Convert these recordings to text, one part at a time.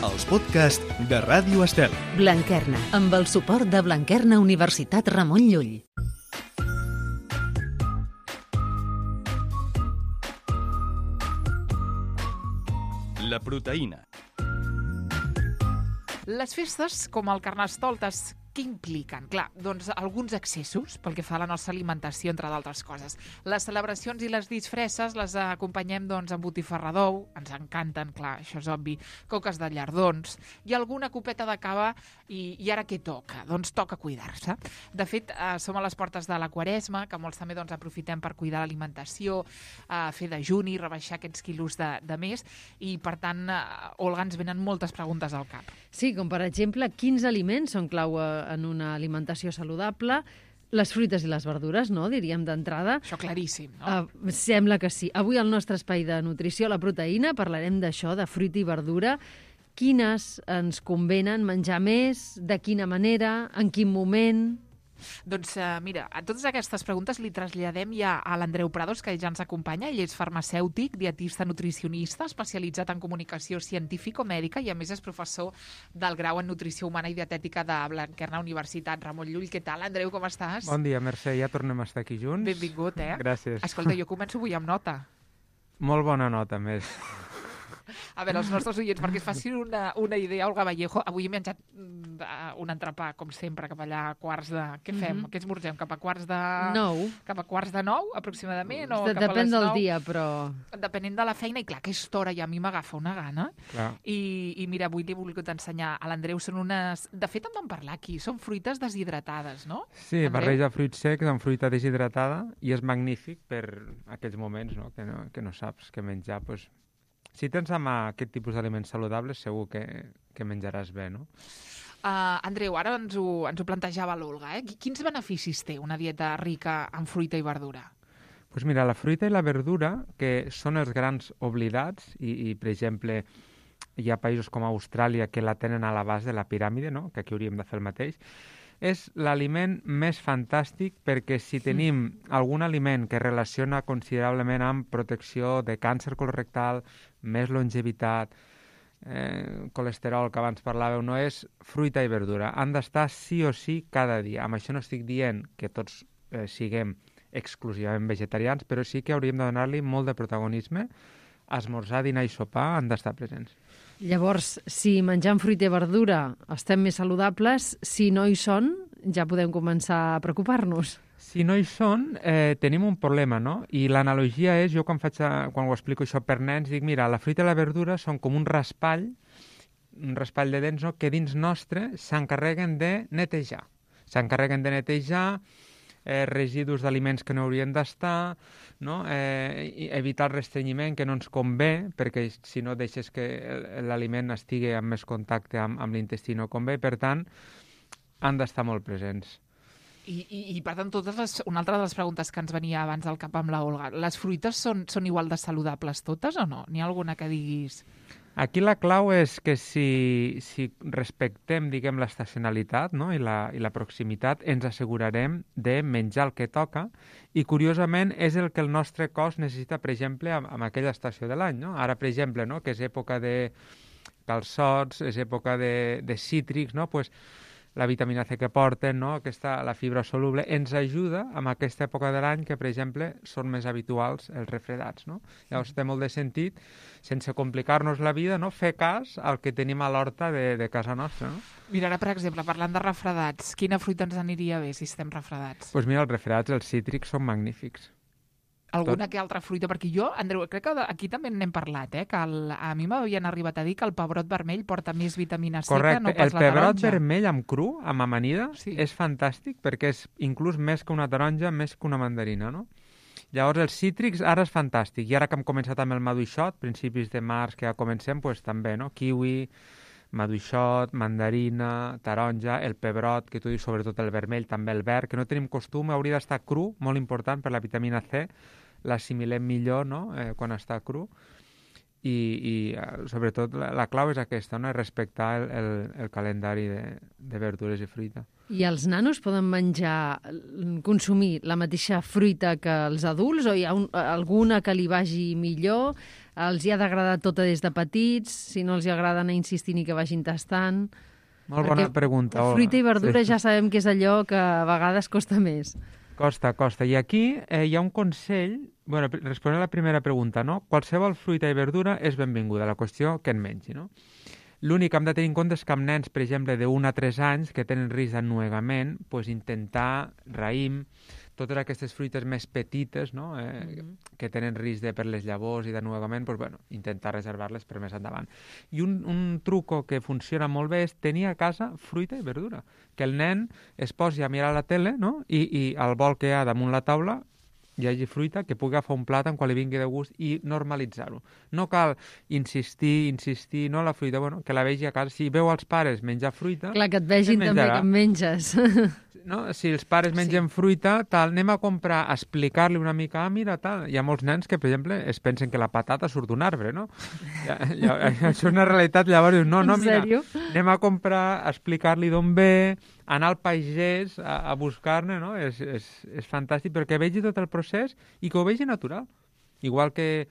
els podcasts de Ràdio Estel. Blanquerna, amb el suport de Blanquerna Universitat Ramon Llull. La proteïna. Les festes, com el Carnestoltes, què impliquen? Clar, doncs alguns excessos pel que fa a la nostra alimentació, entre d'altres coses. Les celebracions i les disfresses les acompanyem doncs amb botifarra d'ou, ens encanten, clar, això és obvi, coques de llardons i alguna copeta de cava i ara què toca? Doncs toca cuidar-se. De fet, som a les portes de la Quaresma, que molts també doncs, aprofitem per cuidar l'alimentació, fer dejuni, rebaixar aquests quilos de més i, per tant, Olga, ens venen moltes preguntes al cap. Sí, com per exemple, quins aliments són clau en una alimentació saludable? Les fruites i les verdures, no? Diríem d'entrada. Això claríssim, no? Sembla que sí. Avui al nostre espai de nutrició, la proteïna, parlarem d'això, de fruita i verdura. Quines ens convenen menjar més? De quina manera? En quin moment? Doncs mira, a totes aquestes preguntes li traslladem ja a l'Andreu Prados, que ja ens acompanya. Ell és farmacèutic, dietista nutricionista, especialitzat en comunicació científico-mèdica i a més és professor del grau en nutrició humana i dietètica de Blanquerna Universitat Ramon Llull. Què tal, Andreu, com estàs? Bon dia, Mercè, ja tornem a estar aquí junts. Benvingut, Gràcies. Escolta, jo començo avui amb nota. Molt bona nota, més. A veure, els nostres oients, perquè es facin una idea, Olga Vallejo, avui he menjat un entrepà, com sempre, cap allà a quarts de... Què fem? Què esmorzem? Cap a quarts de... 9. Cap a quarts de 9, aproximadament? O cap a les Depèn del 9? dia, però... Depenent de la feina, i clar, aquesta hora ja a mi m'agafa una gana. Clar. I mira, avui li he volgut ensenyar a l'Andreu, són unes... De fet, en vam parlar aquí, són fruites deshidratades, no? Sí, Andreu? barreja fruits secs amb fruita deshidratada i és magnífic per aquells moments, no? Que no saps què menjar. Pues, si tens a mà aquest tipus d'aliments saludables, segur que menjaràs bé, no? Andreu, ara ens ho plantejava l'Olga, Quins beneficis té una dieta rica en fruita i verdura? Pues mira, la fruita i la verdura, que són els grans oblidats, i per exemple, hi ha països com Austràlia que la tenen a la base de la piràmide, no? Que aquí hauríem de fer el mateix, és l'aliment més fantàstic perquè si tenim algun aliment que relaciona considerablement amb protecció de càncer colorectal, més longevitat, colesterol, que abans parlàveu, no és fruita i verdura. Han d'estar sí o sí cada dia. Amb això no estic dient que tots siguem exclusivament vegetarians, però sí que hauríem de donar-li molt de protagonisme. Esmorzar, dinar i sopar han d'estar presents. Llavors, si menjant fruita i verdura estem més saludables, si no hi són, ja podem començar a preocupar-nos. Si no hi són, tenim un problema, no? I l'analogia és, jo quan ho explico això per nens, dic, mira, la fruita i la verdura són com un raspall de dents, no? Que dins nostre s'encarreguen de netejar. S'encarreguen de netejar residus d'aliments que no haurien d'estar, no? Evitar el restrenyiment, que no ens convé, perquè si no deixes que l'aliment estigui en més contacte amb l'intestí no convé, per tant, han d'estar molt presents. I per tant, una altra de les preguntes que ens venia abans al cap amb la Olga, les fruites són igual de saludables totes o no? N'hi ha alguna que diguis... Aquí la clau és que si respectem, diguem, l'estacionalitat, no? I la proximitat, ens assegurarem de menjar el que toca i, curiosament, és el que el nostre cos necessita, per exemple, en aquella estació de l'any, no? Ara, per exemple, no? Que és època de calçots, és època de cítrics, no? Pues, la vitamina C que porten, no? La fibra soluble, ens ajuda en aquesta època de l'any que, per exemple, són més habituals els refredats, no? Llavors té molt de sentit, sense complicar-nos la vida, no? Fer cas al que tenim a l'horta de casa nostra, no? Mira, ara, per exemple, parlant de refredats, quina fruita ens aniria bé si estem refredats? Doncs mira, els refredats, els cítrics, són magnífics. Alguna que altra fruita? Perquè jo, Andreu, crec que aquí també n'hem parlat, que a mi m'havien arribat a dir que el pebrot vermell porta més vitamina C que no pas la taronja. El pebrot vermell amb cru, amb amanida, sí, és fantàstic perquè és inclús més que una taronja, més que una mandarina, no? Llavors, els cítrics ara és fantàstic. I ara que hem començat amb el maduixot, principis de març que ja comencem, doncs també, no? Kiwi, maduixot, mandarina, taronja, el pebrot, que tu dius, sobretot el vermell, també el verd, que no tenim costum, hauria d'estar cru, molt important per la vitamina C, l'assimilem millor, no?, quan està cru, i sobretot la clau és aquesta, no?, és respectar el calendari de verdures i fruita. I els nanos poden consumir la mateixa fruita que els adults, o hi ha alguna que li vagi millor? els hi ha d'agradar tota des de petits, si no els hi agrada anar insistint i que vagin tastant... Molt bona pregunta, Olga. Fruita i verdura ja sabem que és allò que a vegades costa més. Costa. I aquí hi ha un consell, responent a la primera pregunta, no? Qualsevol fruita i verdura és benvinguda, la qüestió que en mengi, no? L'únic que hem de tenir en compte és que amb nens, per exemple, de 1 a 3 anys que tenen risc d'ennuegament, intentar raïm, totes aquestes fruites més petites, no? Que tenen risc per les llavors i d'ennuegament, intentar reservar-les per més endavant. I un truco que funciona molt bé és tenir a casa fruita i verdura. Que el nen es posi a mirar la tele, no? I al bol que hi ha damunt la taula hi hagi fruita, que pugui agafar un plàtan quan li vingui de gust i normalitzar-ho. No cal insistir, no, la fruita, que la vegi a casa. Si veu els pares menjar fruita... Clar, que et vegin també que en menges. No? Si els pares mengen fruita, anem a comprar, a explicar-li una mica, mira, tal. Hi ha molts nens que, per exemple, es pensen que la patata surt d'un arbre, no? Això és una realitat, llavors dius, no, mira, anem a comprar, a explicar-li d'on ve, anar al pagès a buscar-ne, no? És fantàstic perquè vegi tot el procés i que ho vegi natural. Igual que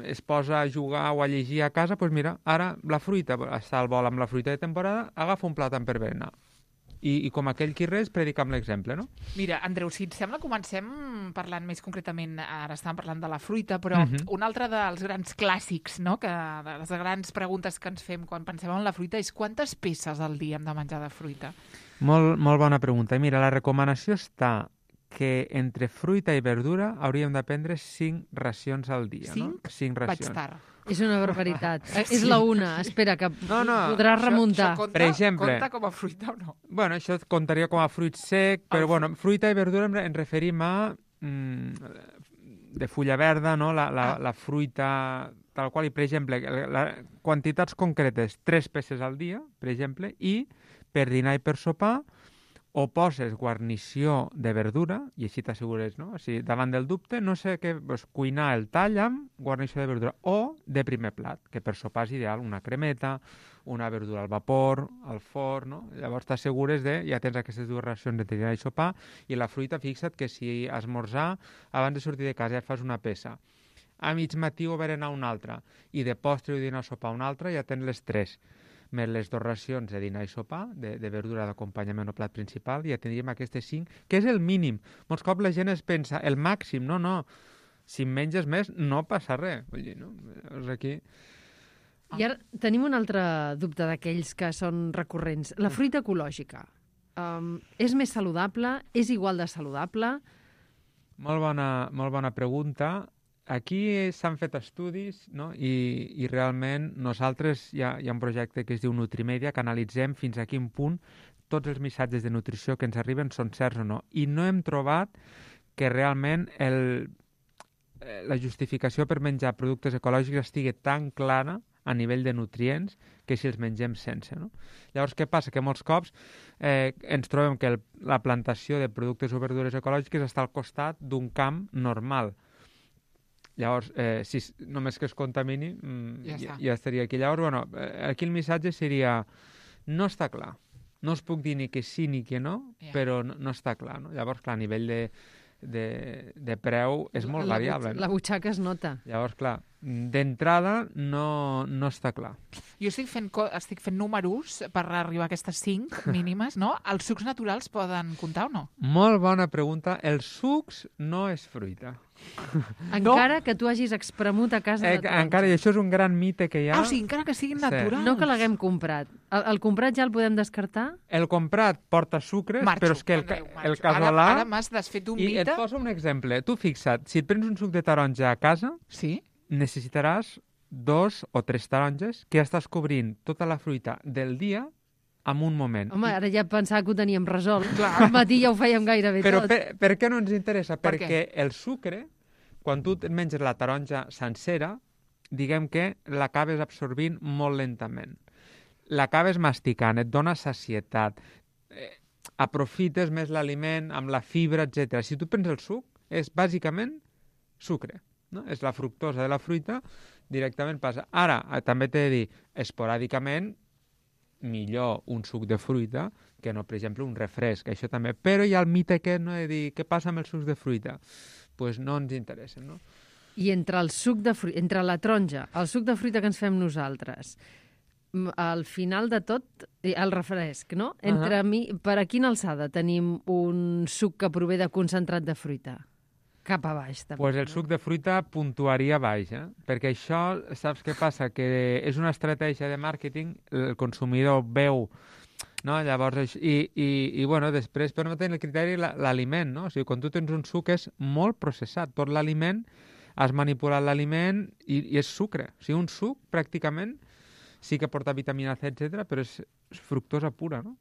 es posa a jugar o a llegir a casa, doncs mira, ara la fruita, està al vol amb la fruita de temporada, agafa un plàtan per berenar. I com aquell qui res, predica amb l'exemple, no? Mira, Andreu, si et sembla, comencem parlant més concretament, ara estàvem parlant de la fruita, però un altre dels grans clàssics, no?, que de les grans preguntes que ens fem quan pensem en la fruita és quantes peces al dia hem de menjar de fruita? Molt bona pregunta. Mira, la recomanació està que entre fruita i verdura hauríem de prendre 5 racions al dia, 5? No? 5 racions. Vaig tard. És una barbaritat. És la una. Espera, que podràs remuntar. Això per exemple, compta com a fruita o no? Això comptaria com a fruit sec, però fruita i verdura ens referim a de fulla verda, no? La fruita tal qual, i per exemple, quantitats concretes, 3 peces al dia, per exemple, i per dinar i per sopar, o poses guarnició de verdura, i així t'assegures, no? O sigui, davant del dubte, no sé què, cuinar el tall amb guarnició de verdura, o de primer plat, que per sopar és ideal, una cremeta, una verdura al vapor, al forn, no? Llavors t'assegures ja tens aquestes 2 racions de dinar i sopar, i la fruita, fixa't que si esmorzar, abans de sortir de casa ja et fas una peça, a mig matí o berenar una altra, i de postre o dinar o sopar una altra, ja tens les 3. Més les 2 racions de dinar i sopar, de verdura d'acompanyament o plat principal, ja tindríem aquestes 5, que és el mínim. Molts cops la gent es pensa, el màxim, no. Si menges més, no passa res. Vull dir, no? Aquí... I ara tenim un altre dubte d'aquells que són recurrents. La fruita ecològica. És més saludable? És igual de saludable? Molt bona pregunta. Aquí s'han fet estudis, no? I realment nosaltres hi ha un projecte que es diu Nutrimèdia, que analitzem fins a quin punt tots els missatges de nutrició que ens arriben són certs o no. I no hem trobat que realment la justificació per menjar productes ecològics estigui tan clara a nivell de nutrients que si els mengem sense, no? Llavors, què passa? Que molts cops ens trobem que la plantació de productes o verdures ecològiques està al costat d'un camp normal. Llavors, si només que es contamini, ja estaria aquí. Llavors, aquí el missatge seria, no està clar. No us puc dir ni que sí ni que no, però no està clar. No? Llavors, clar, a nivell de preu és molt variable. La butxaca es nota. Llavors, clar, d'entrada no està clar. Jo estic fent números per arribar a aquestes 5 mínimes, no? Els sucs naturals poden comptar o no? Molt bona pregunta. Els sucs no és fruita. Encara que tu hagis espremut a casa de taronja. Encara, i això és un gran mite que hi ha. O sigui, encara que siguin naturals. No que l'haguem comprat. El comprat ja el podem descartar? El comprat porta sucres, però és que el casolà... Ara m'has desfet un mite. I et poso un exemple. Tu fixa't, si et prens un suc de taronja a casa, sí? Necessitaràs 2 o 3 taronges que estàs cobrint tota la fruita del dia en un moment. Home, ara ja pensava que ho teníem resolt. Al matí ja ho fèiem gairebé però tot. Però per què no ens interessa? Perquè el sucre, quan tu et menges la taronja sencera, diguem que l'acabes absorbint molt lentament. L'acabes masticant, et dona sacietat, aprofites més l'aliment amb la fibra, etc. Si tu prens el suc, és bàsicament sucre. No? És la fructosa de la fruita, directament passa. Ara, també t'he de dir, esporàdicament, millor un suc de fruita que no, per exemple, un refresc, això també. Però hi ha el mite aquest, no?, de dir, què passa amb els sucs de fruita? Doncs no ens interessen, no? I entre el suc de fruita, entre la taronja, el suc de fruita que ens fem nosaltres, al final de tot, el refresc, no? Per a quina alçada tenim un suc que prové de concentrat de fruita? Cap a baix, també. Pues el suc de fruita puntuaria baix, perquè això, saps què passa? Que és una estratègia de màrqueting, el consumidor veu, no? Llavors, bueno, després per no tenir el criteri l'aliment, no? O sigui, quan tu tens un suc és molt processat, tot l'aliment, has manipulat l'aliment i és sucre. O sigui, un suc pràcticament sí que porta vitamina C, etc, però és fructosa pura, no?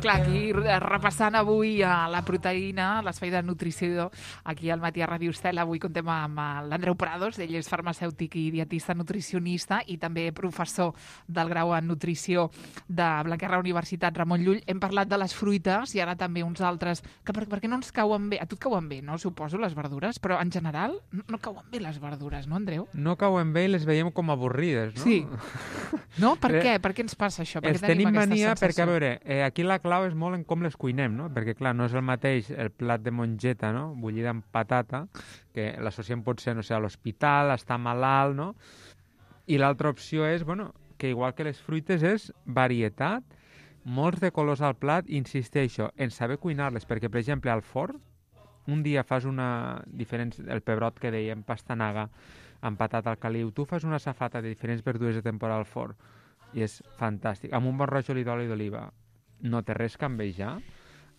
Clar, aquí repassant avui la proteïna, l'espai de nutrició, aquí al Matí a Ràdio Estel, avui contem amb l'Andreu Prados, ell és farmacèutic i dietista nutricionista i també professor del grau en nutrició de Blanquerna Universitat Ramon Llull. Hem parlat de les fruites i ara també uns altres, que perquè no ens cauen bé, a tu et cauen bé, no? Suposo, les verdures, però en general no cauen bé les verdures, no, Andreu? No cauen bé i les veiem com avorrides, no? Sí. No? Per què? Per què ens passa això? Els tenim mania perquè, a veure, aquí la clau és molt en com les cuinem, no? Perquè, clar, no és el mateix el plat de mongeta, no? Bullida amb patata, que l'associem potser, no sé, a l'hospital, està malalt, no? I l'altra opció és, bueno, que igual que les fruites és varietat, molts de colors al plat, insisteixo, en saber cuinar-les, perquè, per exemple, al forn, un dia fas el pebrot que dèiem, pastanaga, amb patata al caliu, tu fas una safata de diferents verdures de temporada al forn i és fantàstic. Amb un bon rajol d'oli d'oliva no té res que envejar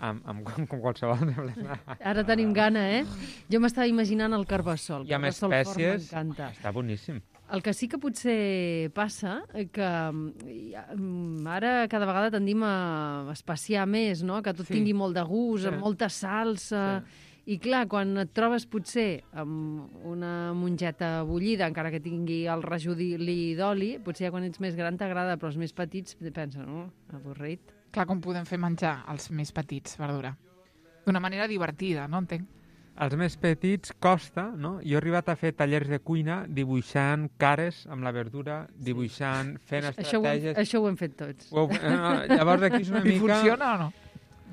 amb qualsevol de bleda. Ara tenim gana, Jo m'estava imaginant el carbassol. I amb espècies, està boníssim. El que sí que potser passa, que ara cada vegada tendim a espaciar més, no? Que tot tingui molt de gust, amb molta salsa... Sí. I clar, quan et trobes potser amb una mongeta bullida, encara que tingui el rajolí d'oli, potser ja quan ets més gran t'agrada, però els més petits pensen, no? Avorrit. Clar, com podem fer menjar els més petits, verdura? D'una manera divertida, no entenc? Els més petits costa, no? Jo he arribat a fer tallers de cuina dibuixant cares amb la verdura, dibuixant, fent estratègies... Això ho hem fet tots. Llavors aquí és una mica... I funciona o no?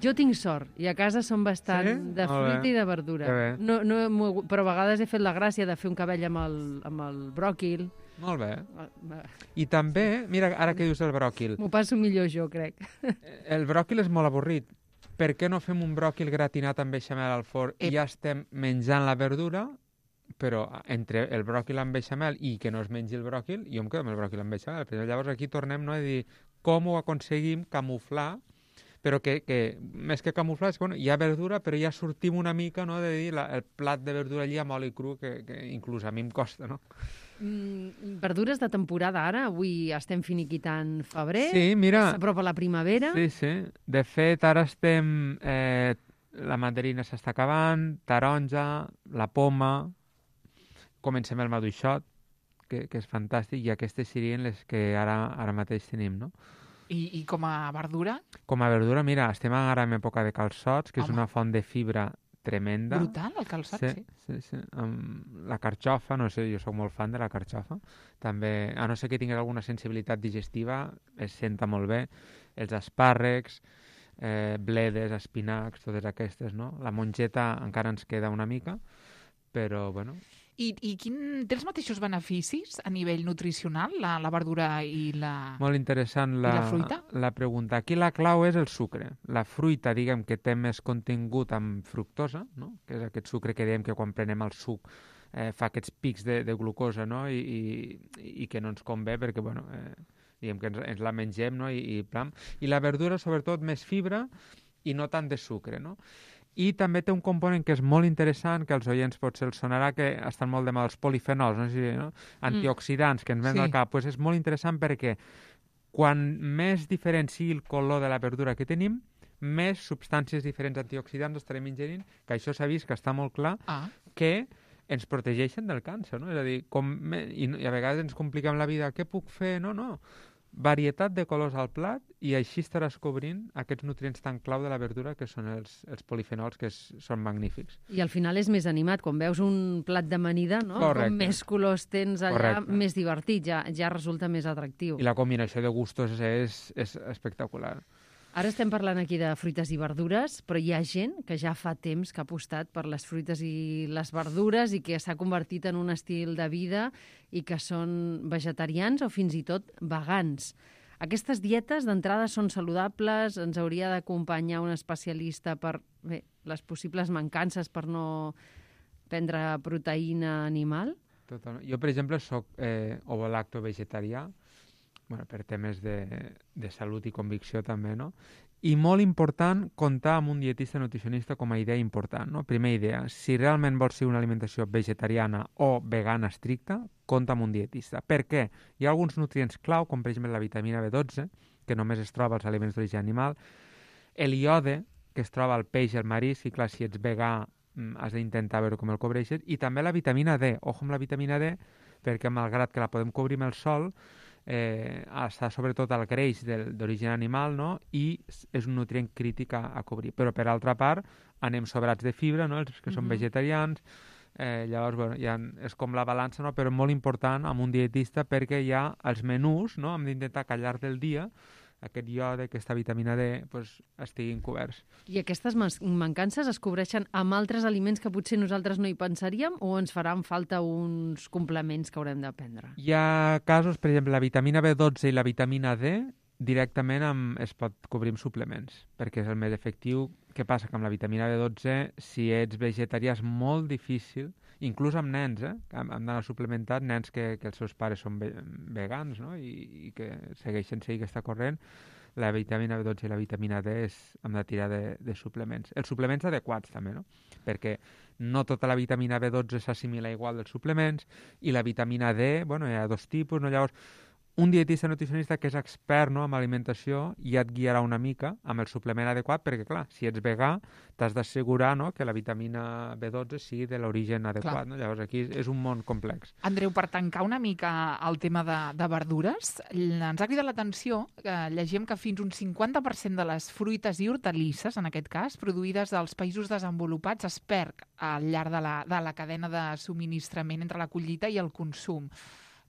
Jo tinc sort, i a casa som bastant de fruita i de verdura. Però a vegades he fet la gràcia de fer un cabell amb el bròquil. Molt bé. I també, mira, ara que dius el bròquil... M'ho passo millor jo, crec. El bròquil és molt avorrit. Per què no fem un bròquil gratinat amb beixamel al forn i ja estem menjant la verdura, però entre el bròquil amb beixamel i que no es mengi el bròquil, jo em quedo amb el bròquil amb beixamel. Però llavors aquí tornem a dir com ho aconseguim camuflar, però que més que camuflar és que hi ha verdura, però ja sortim una mica, no, de dir el plat de verdura allí amb oli cru, que inclús a mi em costa, no? Verdures de temporada ara, avui estem finiquitant febrer, sí, mira, s'apropa la primavera. Sí. De fet, ara estem... la mandarina s'està acabant, taronja, la poma, comencem el maduixot, que és fantàstic, i aquestes serien les que ara mateix tenim, no? I com a verdura? Com a verdura, mira, estem ara en època de calçots, que és una font de fibra tremenda. Brutal, el calçot, sí. La carxofa, no sé, jo sóc molt fan de la carxofa. També, a no ser que tinguis alguna sensibilitat digestiva, es senta molt bé. Els espàrrecs, bledes, espinacs, totes aquestes, no? La mongeta encara ens queda una mica, però, bueno... I té els mateixos beneficis a nivell nutricional, la verdura i la Molt interessant la fruita? La pregunta. Aquí la clau és el sucre. La fruita, diguem, que té més contingut amb fructosa, no? Que és aquest sucre que diem que quan prenem el suc fa aquests pics de glucosa, no? I que no ens convé perquè, bueno, diguem que ens la mengem, no? I la verdura, sobretot, més fibra i no tant de sucre, no? I també té un component que és molt interessant, que als oients potser els sonarà, que estan molt de moda, els polifenols, no? Antioxidants que ens venen al cap. Pues és molt interessant perquè quan més diferent sigui el color de la verdura que tenim, més substàncies diferents antioxidants estarem ingerint, que això s'ha vist que està molt clar, que ens protegeixen del càncer, no? És a dir, i a vegades ens compliquem la vida, què puc fer? No. Varietat de colors al plat i així estaràs cobrint aquests nutrients tan clau de la verdura que són els polifenols, que són magnífics. I al final és més animat, quan veus un plat d'amanida, no? Correcte. Com més colors tens allà, més divertit, ja resulta més atractiu. I la combinació de gustos és espectacular. Ara estem parlant aquí de fruites i verdures, però hi ha gent que ja fa temps que ha apostat per les fruites i les verdures i que s'ha convertit en un estil de vida i que són vegetarians o fins i tot vegans. Aquestes dietes d'entrada són saludables, ens hauria d'acompanyar un especialista per les possibles mancances per no prendre proteïna animal? Totalment. Jo, per exemple, soc ovo-lacto vegetarià, per temes de salut i convicció també, no? I molt important comptar amb un dietista nutricionista com a idea important, no? Primera idea, si realment vols ser una alimentació vegetariana o vegana estricta, compta amb un dietista. Per què? Hi ha alguns nutrients clau, com per exemple la vitamina B12, que només es troba als aliments d'origen animal, el iode, que es troba al peix i al marisc, i clar, si ets vegà has d'intentar veure com el cobreixes, i també la vitamina D. Ojo amb la vitamina D, perquè malgrat que la podem cobrir amb el sol, està sobretot al greix d'origen animal, no? I és un nutrient crític a cobrir. Però per altra part anem sobrats de fibra, no? Els que són vegetarians, llavors és com la balança, no? Però molt important amb un dietista perquè ja els menús, no? Hem d'intentar que al llarg del dia aquest iode, aquesta vitamina D, estiguin coberts. I aquestes mancances es cobreixen amb altres aliments que potser nosaltres no hi pensaríem o ens faran falta uns complements que haurem de prendre? Hi ha casos, per exemple, la vitamina B12 i la vitamina D directament es pot cobrir amb suplements, perquè és el més efectiu. Què passa? Que amb la vitamina B12, si ets vegetarià, és molt difícil, inclús amb nens, han d'anar suplementat, nens que els seus pares són vegans, no? I que segueixen aquesta corrent, la vitamina B12 i la vitamina D hem de tirar de suplements. Els suplements adequats també, no? Perquè no tota la vitamina B12 s'assimila igual dels suplements i la vitamina D, hi ha dos tipus, no? Llavors, un dietista nutricionista que és expert, no, en alimentació ja et guiarà una mica amb el suplement adequat perquè, clar, si ets vegà t'has d'assegurar, no, que la vitamina B12 sigui de l'origen adequat. No? Llavors aquí és un món complex. Andreu, per tancar una mica el tema de verdures, ens ha cridat l'atenció que llegim que fins un 50% de les fruites i hortalisses, en aquest cas, produïdes als països desenvolupats, es perd al llarg de la cadena de subministrament entre la collita i el consum.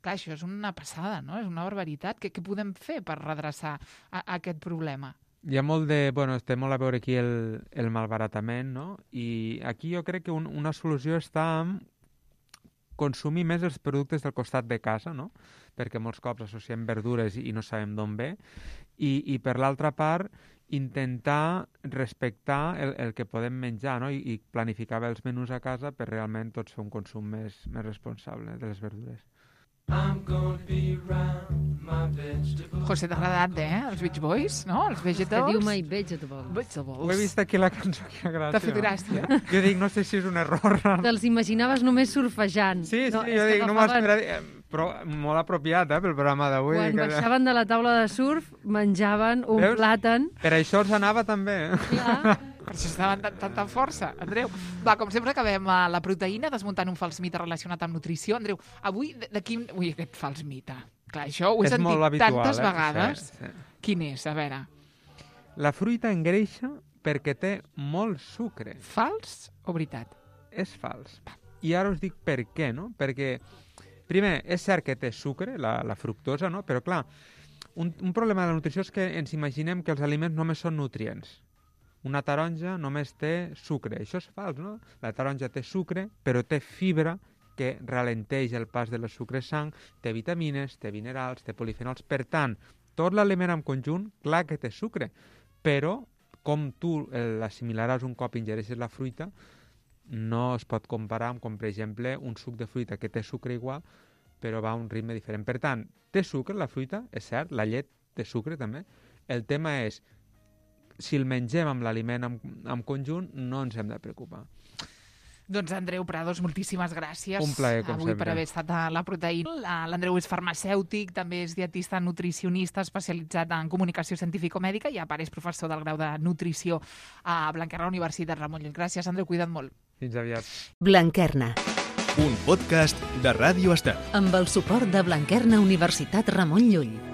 Clar, això és una passada, no? És una barbaritat. Què podem fer per redreçar aquest problema? Hi ha molt té molt a veure aquí el malbaratament, no? I aquí jo crec que una solució està en consumir més els productes del costat de casa, no? Perquè molts cops associem verdures i no sabem d'on ve. I per l'altra part, intentar respectar el que podem menjar, no? I planificar bé els menús a casa per realment tots fer un consum més responsable de les verdures. José, t'ha agradat, els Beach Boys, no? Els Vegetables. Que diu My Vegetables. Ho he vist aquí la cançó, que gràcia. T'ha fet gràcia. Jo dic, no sé si és un error. Te'ls imaginaves només surfejant. Sí, jo dic, no m'has mirat... Però molt apropiat, pel programa d'avui. Quan baixaven de la taula de surf, menjaven un plàtan. Per això els anava també. Clar. Per això estaven tanta força, Andreu. Va, com sempre acabem a la proteïna, desmuntant un fals mite relacionat amb nutrició. Andreu, avui de quin... Ui, aquest fals mite. Clar, això ho he sentit tantes vegades. Sí. Quin és? A veure. La fruita engreixa perquè té molt sucre. Fals o veritat? És fals. I ara us dic per què, no? Perquè, primer, és cert que té sucre, la fructosa, no? Però, clar, un problema de la nutrició és que ens imaginem que els aliments només són nutrients. Una taronja només té sucre. Això és fals, no? La taronja té sucre, però té fibra que ralenteix el pas de les sucres sang, té vitamines, té minerals, té polifenols. Per tant, tot l'aliment en conjunt, clar que té sucre, però com tu l'assimilaràs un cop ingereixes la fruita, no es pot comparar amb, com per exemple, un suc de fruita que té sucre igual, però va a un ritme diferent. Per tant, té sucre la fruita, és cert, la llet té sucre també. El tema és, si el mengem amb l'aliment en conjunt, no ens hem de preocupar. Doncs Andreu Prados, moltíssimes gràcies. Un plaer, com avui sempre. Per haver estat a la proteïna. L'Andreu és farmacèutic, també és dietista nutricionista especialitzat en comunicació científico-mèdica i a part és professor del grau de nutrició a Blanquerna Universitat Ramon Llull. Gràcies, Andreu, cuida't molt. Fins aviat. Blanquerna. Un podcast de Ràdio Estel. Amb el suport de Blanquerna Universitat Ramon Llull.